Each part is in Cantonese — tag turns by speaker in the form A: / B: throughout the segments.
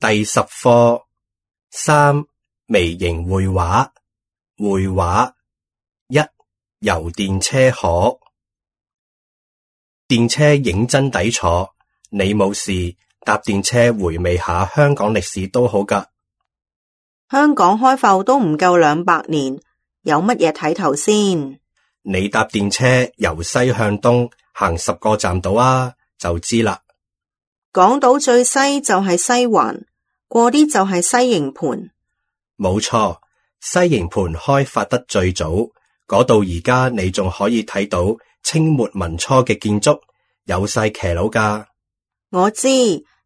A: 第10課3微型繪畫。繪畫1遊電車河。電車認真抵坐，你冇事搭電車回味下香港歷史都好㗎。
B: 香港開埠都唔夠200年，有乜嘢睇頭先？
A: 你搭電車由西向東行10個站到啊，就知啦。
B: 港島最西就係西環，過啲就係西營盤。
A: 冇錯，西營盤開發得最早，嗰度而家你仲可以睇到清末民初嘅建築，有晒騎樓㗎。
B: 我知，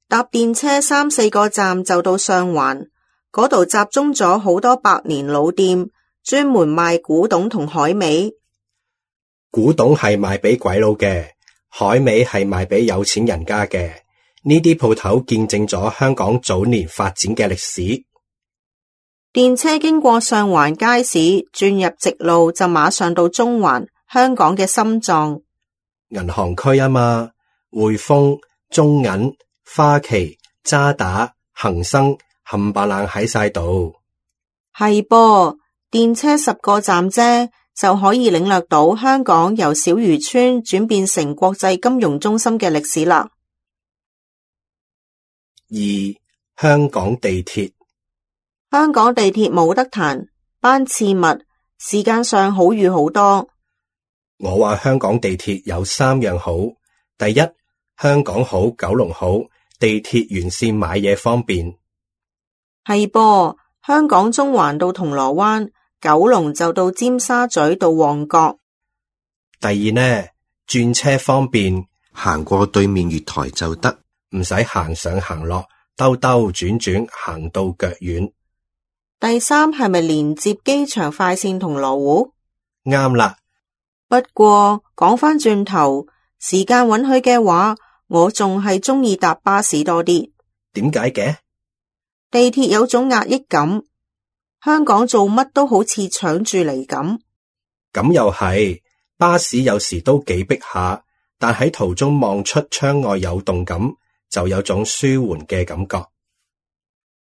B: 搭電車3、4個站就到上環，嗰度集中咗好多百年老店，專門賣古董同海味。
A: 古董係賣俾鬼佬嘅，海味係賣俾有錢人家嘅。呢啲鋪頭見證咗香港早年發展嘅歷史。
B: 電車經過上環街市，轉入直路就馬上到中環，香港嘅心臟。
A: 銀行區啊嘛，匯豐、中銀、花旗、渣打、恒生冚唪唥喺晒度。
B: 係噃，電車10個站啫，就可以領略到香港由小漁村轉變成國際金融中心嘅歷史啦。
A: 2香港地鐵。
B: 香港地鐵冇得彈，班次密，時間上好預好多。
A: 我話香港地鐵有3樣好。第一，香港好，九龍好，地鐵沿線買嘢方便。
B: 係噃，香港中環到銅鑼灣，九龍就到尖沙咀到旺角。
A: 第二呢，轉車方便，行過對面月台就得，唔使行上行落，兜兜轉轉行到腳軟。
B: 第三係咪連接機場快線銅鑼湖？
A: 啱啦。
B: 不過講返轉頭，時間允許嘅話，我仲係鍾意搭巴士多啲。
A: 點解嘅？
B: 地鐵有種壓抑感，香港做乜都好似搶住嚟咁。
A: 咁又係，巴士有時都幾逼下，但喺途中望出窗外有動感，就有種舒緩嘅感覺。